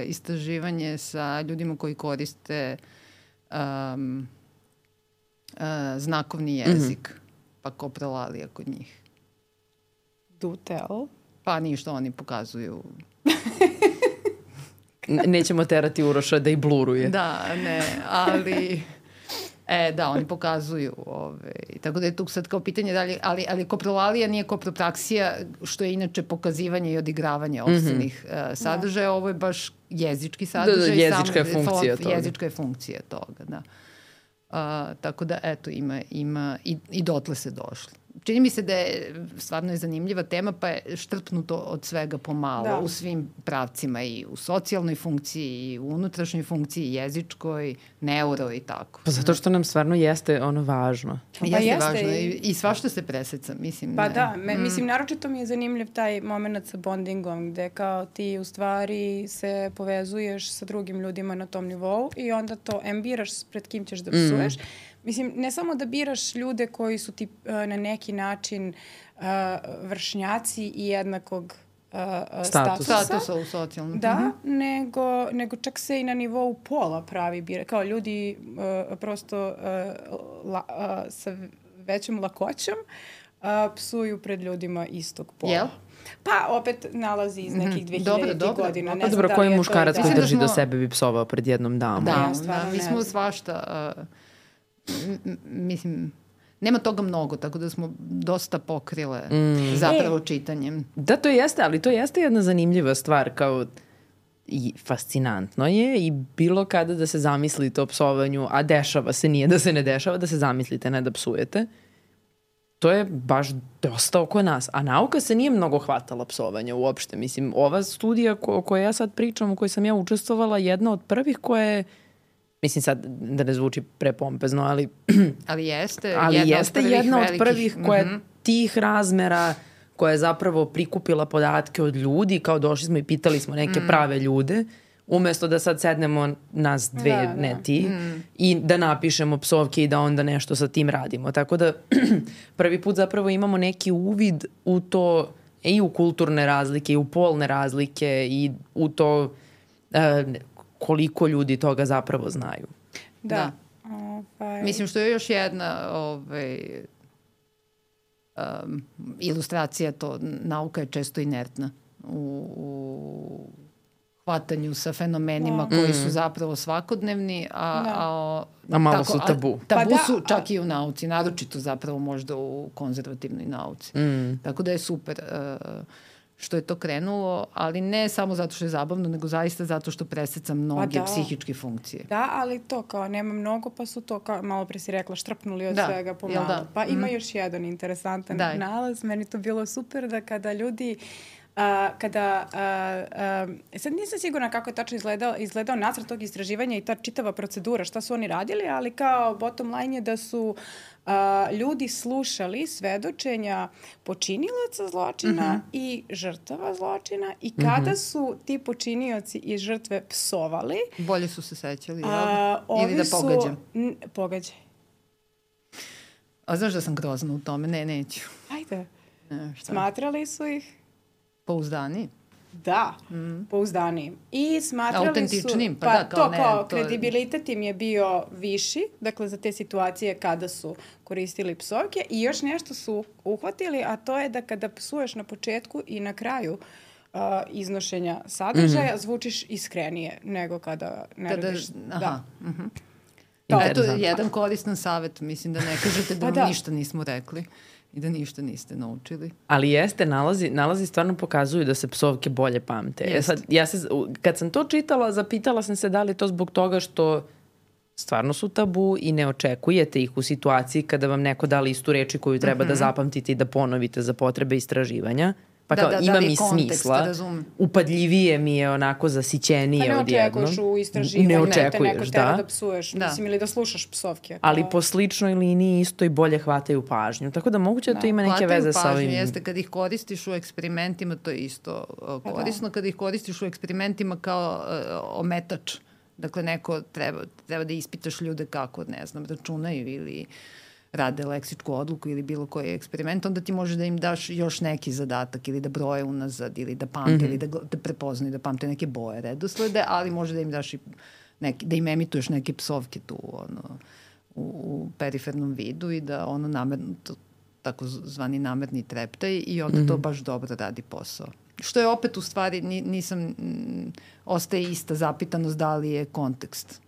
istraživanje sa ljudima koji koriste znakovni jezik, pa koprolalija kod njih. Do tell. Pa ništa, oni pokazuju... Nećemo terati Uroša da i bluruje. Da, ne, ali... Da, oni pokazuju. Tako da je tu sad kao pitanje da li... Ali koprolalija nije kopropraksija, što je inače pokazivanje i odigravanje opscenih sadržaja. Ovo je baš jezički sadržaj. Jezička je funkcija toga. Jezička je funkcija toga, da. Tako da, eto, ima i dotle se došlo. Čini mi se da je stvarno zanimljiva tema, pa je štrpnuto od svega pomalo u svim pravcima, i u socijalnoj funkciji, i u unutrašnjoj funkciji, jezičkoj, neuro i tako. Pa zato što nam stvarno jeste ono važno. Jeste važno i svašta se preseca, mislim. Pa da, mislim, naročito mi je zanimljiv taj moment sa bondingom, gde kao ti u stvari se povezuješ sa drugim ljudima na tom nivou i onda to biraš pred kim ćeš da psuješ. Mislim, ne samo da biraš ljude koji su ti na neki način vršnjaci i jednakog statusa u socijalnom. Da, nego čak se i na nivou pola pravi bira. Kao ljudi prosto sa većom lakoćom psuju pred ljudima istog pola. Jel? Pa opet nalazi iz nekih 2000 godina. Pa dobro, koji muškarac koji drži do sebe bi psovao pred jednom damom? Da, mi smo svašta... Mislim, nema toga mnogo, tako da smo dosta pokrile zapravo čitanjem. Da, to jeste, ali to jeste jedna zanimljiva stvar, kao i fascinantno je i bilo kada da se zamislite o psovanju, a dešava se, nije da se ne dešava, da se zamislite, ne da psujete. To je baš dosta oko nas. A nauka se nije mnogo hvatala psovanja uopšte. Mislim, ova studija o kojoj ja sad pričam, u kojoj sam ja učestvovala, jedna od prvih koja je, mislim sad da ne zvuči prepompezno, ali... ali jeste jedna od prvih koja tih razmera, koja je zapravo prikupila podatke od ljudi, kao došli smo i pitali smo neke prave ljude, umesto da sad sednemo nas dve, ne ti, i da napišemo psovke i da onda nešto sa tim radimo. Tako da prvi put zapravo imamo neki uvid u to, i u kulturne razlike, i u polne razlike, i u to koliko ljudi toga zapravo znaju. Da. Mislim, što je još jedna ilustracija, to nauka je često inertna u hvatanju sa fenomenima koji su zapravo svakodnevni, a malo su tabu. Tabu su čak i u nauci, naročito zapravo možda u konzervativnoj nauci. Tako da je super što je to krenulo, ali ne samo zato što je zabavno, nego zaista zato što preseca mnoge psihičke funkcije. Da, ali to kao nema mnogo, pa su to, kao malo pre si rekla, štrpnuli od svega pomalo. Pa ima još jedan interesantan nalaz. Meni to bilo super da kada ljudi sad nisam sigurna kako je tačno izgledao nacrt tog istraživanja i ta čitava procedura, šta su oni radili, ali kao bottom line je da su ljudi slušali svedočenja počinilaca zločina i žrtava zločina i kada su ti počinioci i žrtve psovali... Bolje su se sećali, ili da pogađam? Pogađaj. A znaš da sam grozna u tome? Ne, neću. Ajde. Smatrali su ih... Pouzdani? Da, pouzdanijim. I smatrali su... Autentičnim, pa da, kao to, kao kredibilitet im je bio viši, dakle za te situacije kada su koristili psovke i još nešto su uhvatili, a to je da kada psuješ na početku i na kraju iznošenja sadržaja, zvučiš iskrenije nego kada ne radiš. Da. Eto, jedan koristan savjet, mislim da ne kažete da vam ništa nismo rekli i da ništa niste naučili. Ali jeste, nalazi stvarno pokazuju da se psovke bolje pamte. Sad, kad sam to čitala, zapitala sam se da li je to zbog toga što stvarno su tabu i ne očekujete ih u situaciji kada vam neko dali istu reči koju treba da zapamtite i da ponovite za potrebe istraživanja. Pa kao, ima mi smisla, upadljivije mi je onako zasićenije odjednom. Pa ne očekuješ u istraživanju, te neko teba da psuješ, mislim, ili da slušaš psovke. Ali po sličnoj liniji isto i bolje hvataju pažnju. Tako da moguće da to ima neke veze sa ovim... Hvataju pažnju, jeste, kad ih koristiš u eksperimentima, to je isto korisno, kad ih koristiš u eksperimentima kao ometač. Dakle, neko treba da ispitaš ljude kako, ne znam, računaju ili rade leksičku odluku ili bilo koji eksperiment, onda ti može da im daš još neki zadatak ili da broje unazad ili da pamte ili da prepoznaju, da pamte neke boje redoslede, ali može da im daš i da im emituješ neke psovke tu u perifernom vidu i da tako zvani namerni treptaj i onda to baš dobro radi posao. Što je opet u stvari, ostaje ista zapitanost da li je kontekst.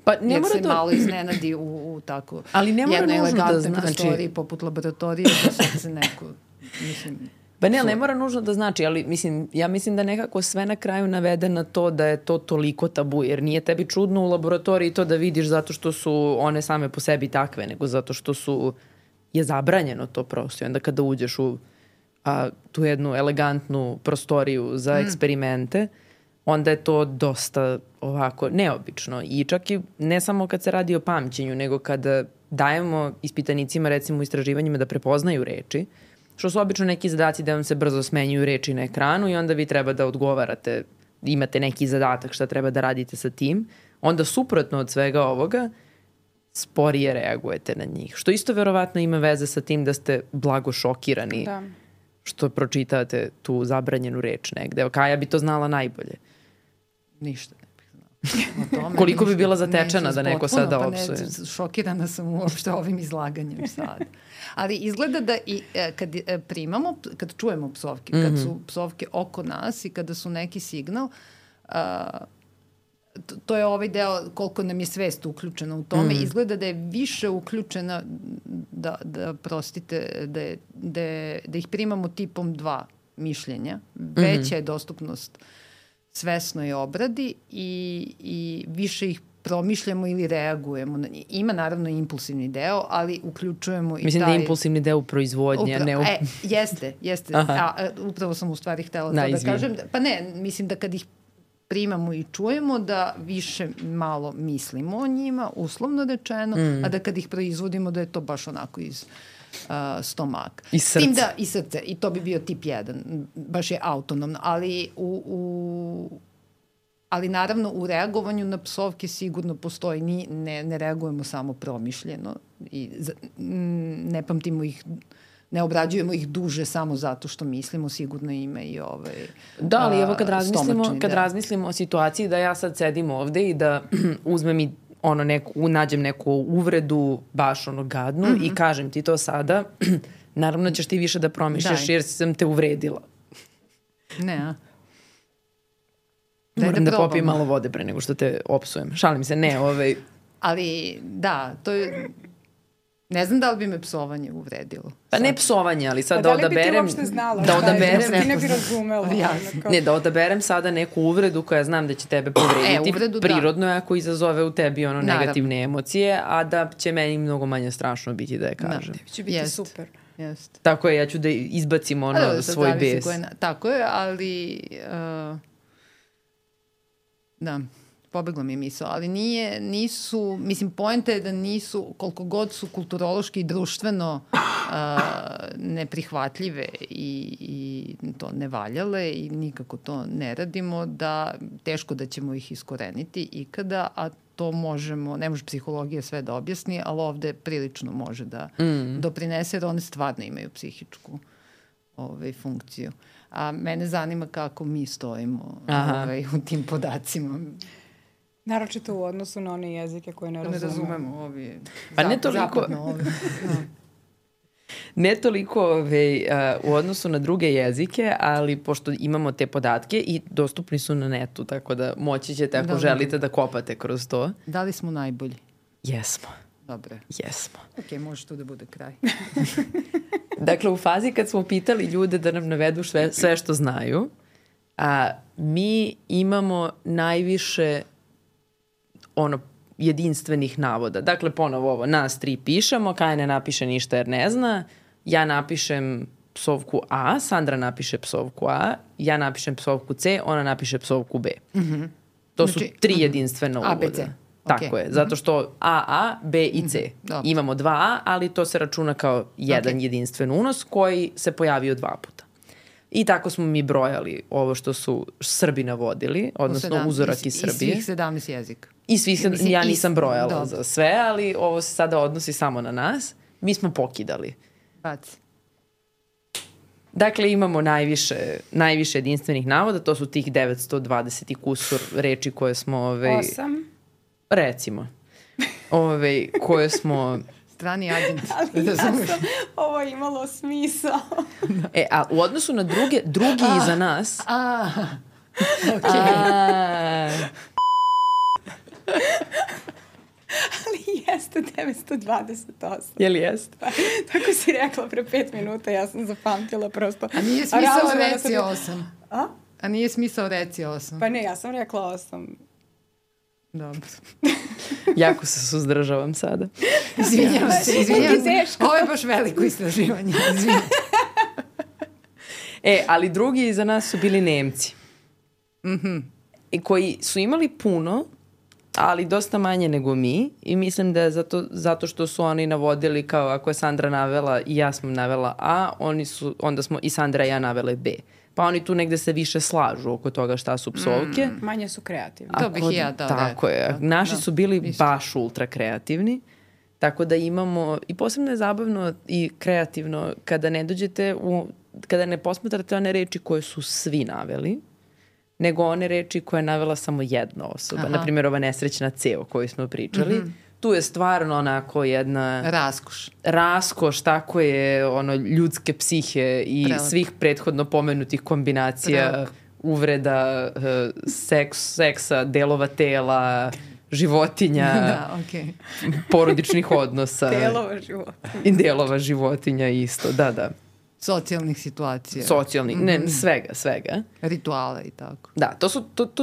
Pa ne jer se malo iznenadi u tako jednoj elegantnoj prostoriji poput laboratorije da sad se neko, mislim... Pa ne mora nužno da znači, ali ja mislim da nekako sve na kraju navede na to da je to toliko tabu, jer nije tebi čudno u laboratoriji to da vidiš zato što su one same po sebi takve, nego zato što je zabranjeno to prosto. I onda kada uđeš u tu jednu elegantnu prostoriju za eksperimente, onda je to dosta ovako neobično. I čak i ne samo kad se radi o pamćenju, nego kada dajemo ispitanicima, recimo u istraživanjima, da prepoznaju reči, što su obično neki zadaci da vam se brzo smenjuju reči na ekranu i onda vi treba da odgovarate, imate neki zadatak šta treba da radite sa tim, onda suprotno od svega ovoga sporije reagujete na njih. Što isto verovatno ima veze sa tim da ste blago šokirani što pročitate tu zabranjenu reč negde. Kaja bi to znala najbolje. Ništa ne bih znala. Koliko bi bila zatečena da neko sada opsuje? Šokirana sam uopšte ovim izlaganjem sad. Ali izgleda da i kad čujemo psovke, kad su psovke oko nas i kada su neki signal, to je ovaj deo koliko nam je svest uključena u tome. Izgleda da je više uključena da prostite, da ih primamo tipom 2 mišljenja. Veća je dostupnost svesnoj obradi i više ih promišljamo ili reagujemo. Ima naravno impulsivni deo, ali uključujemo i mislim da je impulsivni deo u proizvodnji, a ne u... Jeste. Upravo sam u stvari htela to da kažem. Pa ne, mislim da kad ih primamo i čujemo da više malo mislimo o njima, uslovno rečeno, a da kad ih proizvodimo da je to baš onako iz stomak. I srce. I srce. I to bi bio tip 1. Baš je autonomno. Ali naravno u reagovanju na psovke sigurno postoji, ne reagujemo samo promišljeno i ne pamtimo ih, ne obrađujemo ih duže samo zato što mislimo, sigurno ima i Da, ali evo kad razmislimo o situaciji da ja sad sedim ovde i da uzmem i nađem neku uvredu baš gadnu i kažem ti to sada, naravno ćeš ti više da promišljaš jer sam te uvredila. Ne, moram da popijem malo vode pre nego što te opsujem. Šalim se, Ali, da, to je... Ne znam da li bi me psovanje uvredilo. Pa ne psovanje, ali sad da odaberem... Da li bi ti uopšte znala? Ne bi razumela. Ne, da odaberem sada neku uvredu koja znam da će tebe povrediti. Prirodno je ako izazove u tebi negativne emocije, a da će meni mnogo manje strašno biti da je kažem. Tebi će biti super. Jeste. Tako je, ja ću da izbacim svoj bes. Tako je, ali da, pobegla mi je misao, ali nisu, mislim, poenta je da nisu, koliko god su kulturološki i društveno neprihvatljive i to ne valjale i nikako to ne radimo, da teško da ćemo ih iskoreniti ikada, a to možemo, ne može psihologija sve da objasni, ali ovde prilično može da doprinese, jer one stvarno imaju psihičku funkciju. A mene zanima kako mi stojimo u tim podacima. Naročito u odnosu na one jezike koje ne razumemo. Pa ne toliko... Ne toliko u odnosu na druge jezike, ali pošto imamo te podatke i dostupni su na netu, tako da moći ćete ako želite da kopate kroz to. Da li smo najbolji? Jesmo. Dobre. Jesmo. Ok, može to da bude kraj. Dakle, u fazi kad smo pitali ljude da nam navedu sve što znaju, mi imamo najviše jedinstvenih navoda. Dakle, ponovo ovo, nas 3 pišemo, Kaja ne napiše ništa jer ne zna, ja napišem psovku A, Sandra napiše psovku A, ja napišem psovku C, ona napiše psovku B. To su 3 jedinstvena uvoda. A, B, C. Tako je, zato što A, B i C. Imamo 2A, ali to se računa kao jedan jedinstven unos koji se pojavio 2 puta. I tako smo mi brojali ovo što su Srbi navodili, odnosno uzorak iz Srbije. I svih 17 jezika. I svih, ja nisam brojala za sve, ali ovo se sada odnosi samo na nas. Mi smo pokidali. Baci. Dakle, imamo najviše jedinstvenih navoda, to su tih 920 i kusur reči koje smo... 8. Recimo. Koje smo... Strani agent. Ali ja sam ovo imalo smisao. A u odnosu na drugi iza nas... Okej. Ali jeste 928. Je li jeste? Tako si rekla pre 5 minuta, ja sam zapamtila prosto. A nije smisao reci 8. A nije smisao reci 8. Pa ne, ja sam rekla 8. Dobro. Jako se suzdržavam sada. Izvinjam se. Ovo je baš veliko istraživanje. Izvinjam. Ali drugi iza nas su bili Nemci. I koji su imali puno, ali dosta manje nego mi. I mislim da je zato što su oni navodili kao ako je Sandra navela i ja sam navela A, onda smo i Sandra i ja navele B. Pa oni tu negde se više slažu oko toga šta su psovke. Manje su kreativni. To bih i ja dao. Tako je. Naši su bili baš ultra kreativni. Tako da imamo, i posebno je zabavno i kreativno kada ne dođete, kada ne posmatrate one reči koje su svi naveli, nego one reči koje je navela samo jedna osoba. Naprimjer, ova nesrećna C o kojoj smo pričali. Tu je stvarno onako jedna... Raskoš, tako je, ljudske psihe i svih prethodno pomenutih kombinacija, uvreda, seksa, delova tela, životinja, porodičnih odnosa. Delova životinja. I delova životinja isto, da. Socijalnih situacija. Ne, svega. Rituala i tako. Da,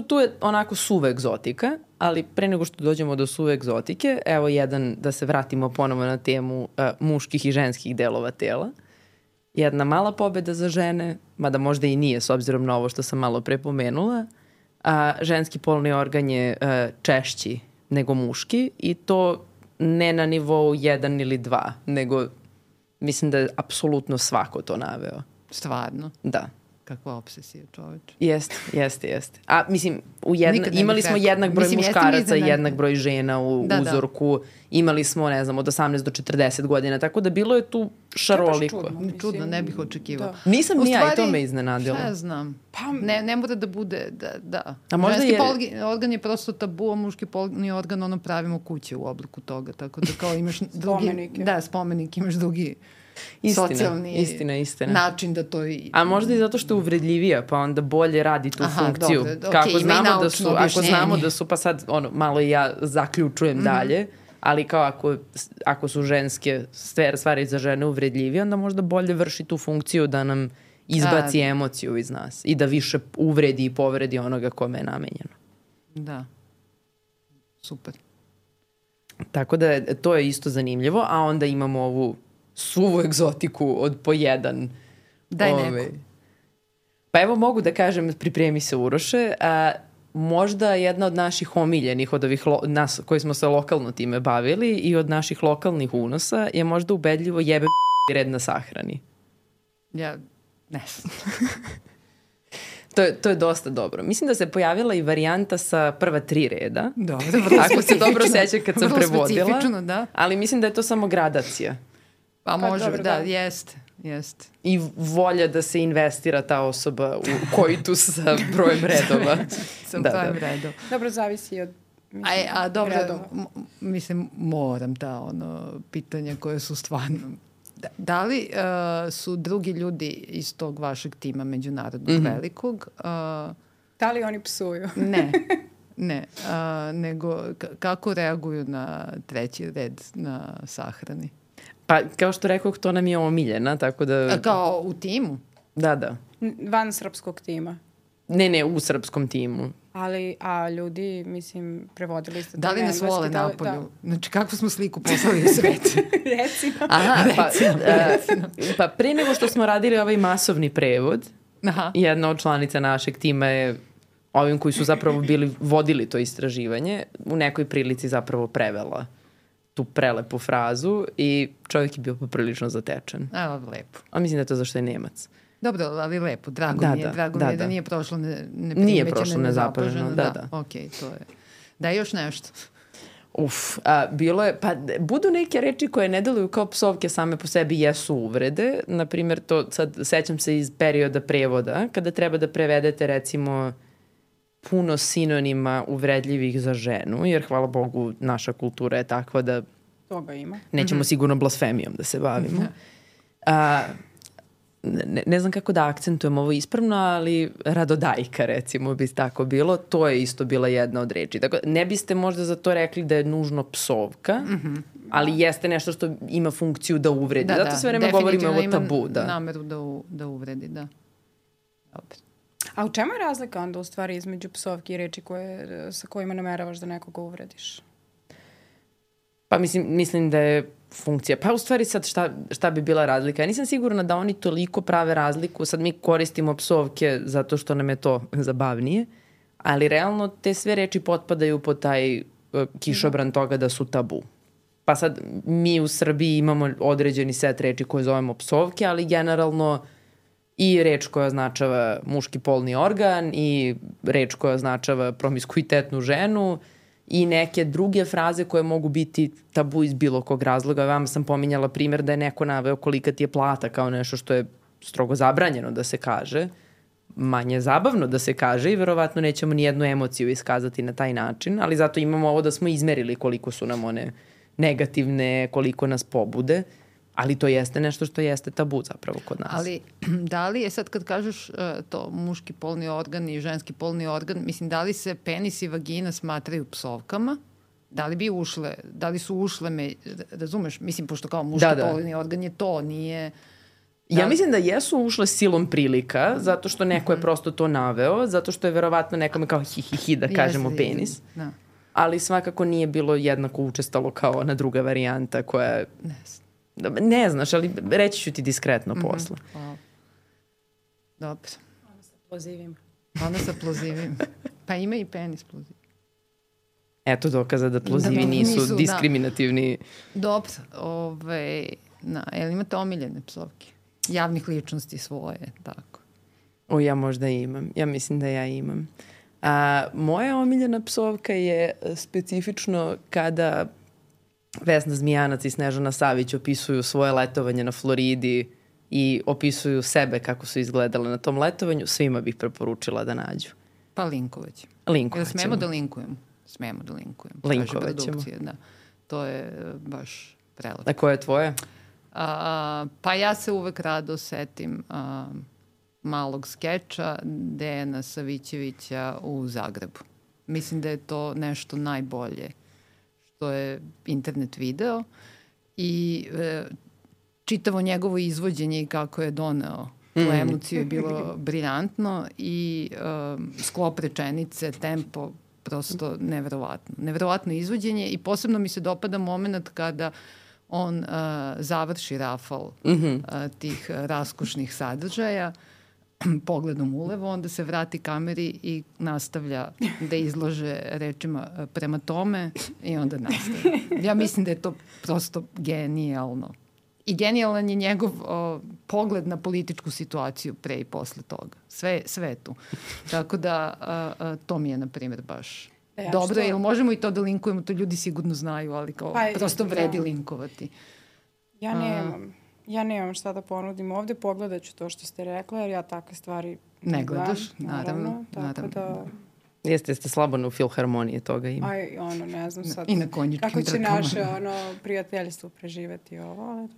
tu je onako suva egzotika, ali pre nego što dođemo do suve egzotike, evo da se vratimo ponovo na temu muških i ženskih delova tela. Jedna mala pobeda za žene, mada možda i nije s obzirom na ovo što sam malo pre pomenula, ženski polni organ je češći nego muški i to ne na nivou 1 ili 2, nego mislim da je apsolutno svako to naveo. Stvarno? Da. Kakva obsesija, čoveče. Jeste. A mislim, imali smo jednak broj muškaraca i jednak broj žena u uzorku. Imali smo, ne znam, od 18 do 40 godina, tako da bilo je tu šaroliko. Čudno, ne bih očekivao. Nisam ni ja i to me iznenadilo. Šta ja znam? Ne mora da bude, da. A možda ženski organ je prosto tabu, a muški polni organ pravimo kuće u obliku toga, tako da kao imaš drugi... spomenik, imaš drugi... Istina. način da to... A možda i zato što je uvredljivija, pa onda bolje radi tu funkciju. Kako znamo da su, pa sad malo i ja zaključujem dalje, ali kao ako su ženske stvari za žene uvredljivije, onda možda bolje vrši tu funkciju da nam izbaci emociju iz nas i da više uvredi i povredi onoga kome je namenjeno. Da. Super. Tako da to je isto zanimljivo, a onda imamo ovu suvu egzotiku od po jedan. Daj neku. Pa evo mogu da kažem, pripremi se Uroše, možda jedna od naših omiljenih, od ovih nas koji smo se lokalno time bavili i od naših lokalnih unosa je možda ubedljivo jebe red na sahrani. Ja ne znam. To je dosta dobro. Mislim da se pojavila i varijanta sa prva 3 reda. Dobro, ako se dobro seća kad sam prevodila. Da. Ali mislim da je to samo gradacija. Pa može, dobro, da, jeste. I volja da se investira ta osoba u koitus sa brojem redova. Sa brojem redova. Dobro, zavisi od dobro, redova. Mislim, moram pitanja koje su stvarno... Da li su drugi ljudi iz tog vašeg tima međunarodnog velikog? Da li oni psuju? Ne. Nego kako reaguju na 3. red na sahrani? Pa, kao što rekao, to nam je omiljena, tako da... Kao u timu? Da. Van srpskog tima? Ne, u srpskom timu. A ljudi, mislim, prevodili ste... Da li nas vole napolju? Da. Znači, kakvu smo sliku poslali u svet? Recimo. Pa prije nego što smo radili ovaj masovni prevod, jedna od članica našeg tima je ovim koji su zapravo vodili to istraživanje, u nekoj prilici zapravo prevela tu prelepu frazu i čovjek je bio poprilično zatečen. Lepo. A mislim da je to zašto je Nemac. Dobro, ali lepo. Drago mi je da nije prošlo neprimećeno, nezapaženo. Da. Ok, to je. Da, još nešto. Bilo je, pa budu neke reči koje ne deluju kao psovke same po sebi jesu uvrede. Naprimjer, to sad sećam se iz perioda prevoda, kada treba da prevedete recimo puno sinonima uvredljivih za ženu, jer hvala Bogu naša kultura je takva da toga ima. Nećemo sigurno blasfemijom da se bavimo. Ne znam kako da akcentujem ovo ispravno, ali radodajka recimo bi tako bilo. To je isto bila jedna od reči. Tako, ne biste možda za to rekli da je nužno psovka, ali jeste nešto što ima funkciju da uvredi. Zato sve vreme govorimo o tabu. Da, nameru da uvredi, da. Dobro. A u čemu je razlika onda u stvari između psovki i reči sa kojima nameravaš da nekoga uvrediš? Pa mislim da je funkcija. Pa u stvari sad šta bi bila razlika? Ja nisam sigurna da oni toliko prave razliku. Sad mi koristimo psovke zato što nam je to zabavnije, ali realno te sve reči potpadaju pod taj kišobran toga da su tabu. Pa sad mi u Srbiji imamo određeni set reči koje zovemo psovke, ali generalno i reč koja označava muški polni organ i reč koja označava promiskuitetnu ženu i neke druge fraze koje mogu biti tabu iz bilo kog razloga. Vam sam pominjala primjer da je neko naveo kolika ti je plata kao nešto što je strogo zabranjeno da se kaže, manje zabavno da se kaže i verovatno nećemo ni jednu emociju iskazati na taj način, ali zato imamo ovo da smo izmerili koliko su nam one negativne, koliko nas pobude. Ali to jeste nešto što jeste tabu zapravo kod nas. Ali da li je sad kad kažeš to muški polni organ i ženski polni organ, mislim da li se penis i vagina smatraju psovkama? Da li su ušle, razumeš? Mislim, pošto kao muški polni organ je to, nije... Ja mislim da jesu ušle silom prilika, zato što neko je prosto to naveo, zato što je verovatno nekome kao hi da kažemo penis. Da. Ali svakako nije bilo jednako učestalo kao ona druga varijanta koja... Ne znaš, ali reći ću ti diskretno posle. Dobro. Ono sa plozivim. Pa ima i penis ploziv. Eto dokaza da plozivi nisu diskriminativni. Dobro. Jel imate omiljene psovke? Javnih ličnosti svoje, tako. Ja možda imam. Ja mislim da ja imam. Moja omiljena psovka je specifično kada Vesna Zmijanac i Snežana Savić opisuju svoje letovanje na Floridi i opisuju sebe kako su izgledale na tom letovanju, svima bih preporučila da nađu. Pa linkovaćemo. Smemo da linkujemo? Smemo da linkujemo. Linkovaćemo. Da. To je baš prelepo. A koja je tvoja? Pa ja se uvek rado setim malog skeča Dejana Savićevića u Zagrebu. Mislim da je to nešto najbolje što je internet video i čitavo njegovo izvođenje i kako je doneo tu emociju je bilo briljantno i sklop rečenice, tempo, prosto neverovatno. Neverovatno izvođenje i posebno mi se dopada moment kada on završi rafal tih raskošnih sadržaja, pogledom ulevo, onda se vrati kameri i nastavlja da izlože rečima prema tome i onda nastavlja. Ja mislim da je to prosto genijalno. I genijalan je njegov pogled na političku situaciju pre i posle toga. Sve je tu. Tako da to mi je, na primjer, baš dobro. Jer možemo i to da linkujemo, to ljudi sigurno znaju, ali kao prosto vredi linkovati. Ja nemam šta da ponudim ovde, pogledat ću to što ste rekla, jer ja takve stvari ne gledaš, naravno. Tako da... Jeste slabo u filharmoniji toga ima. Ne znam sad I na konjičkim kako će naše prijateljstvo preživeti ovo, ali...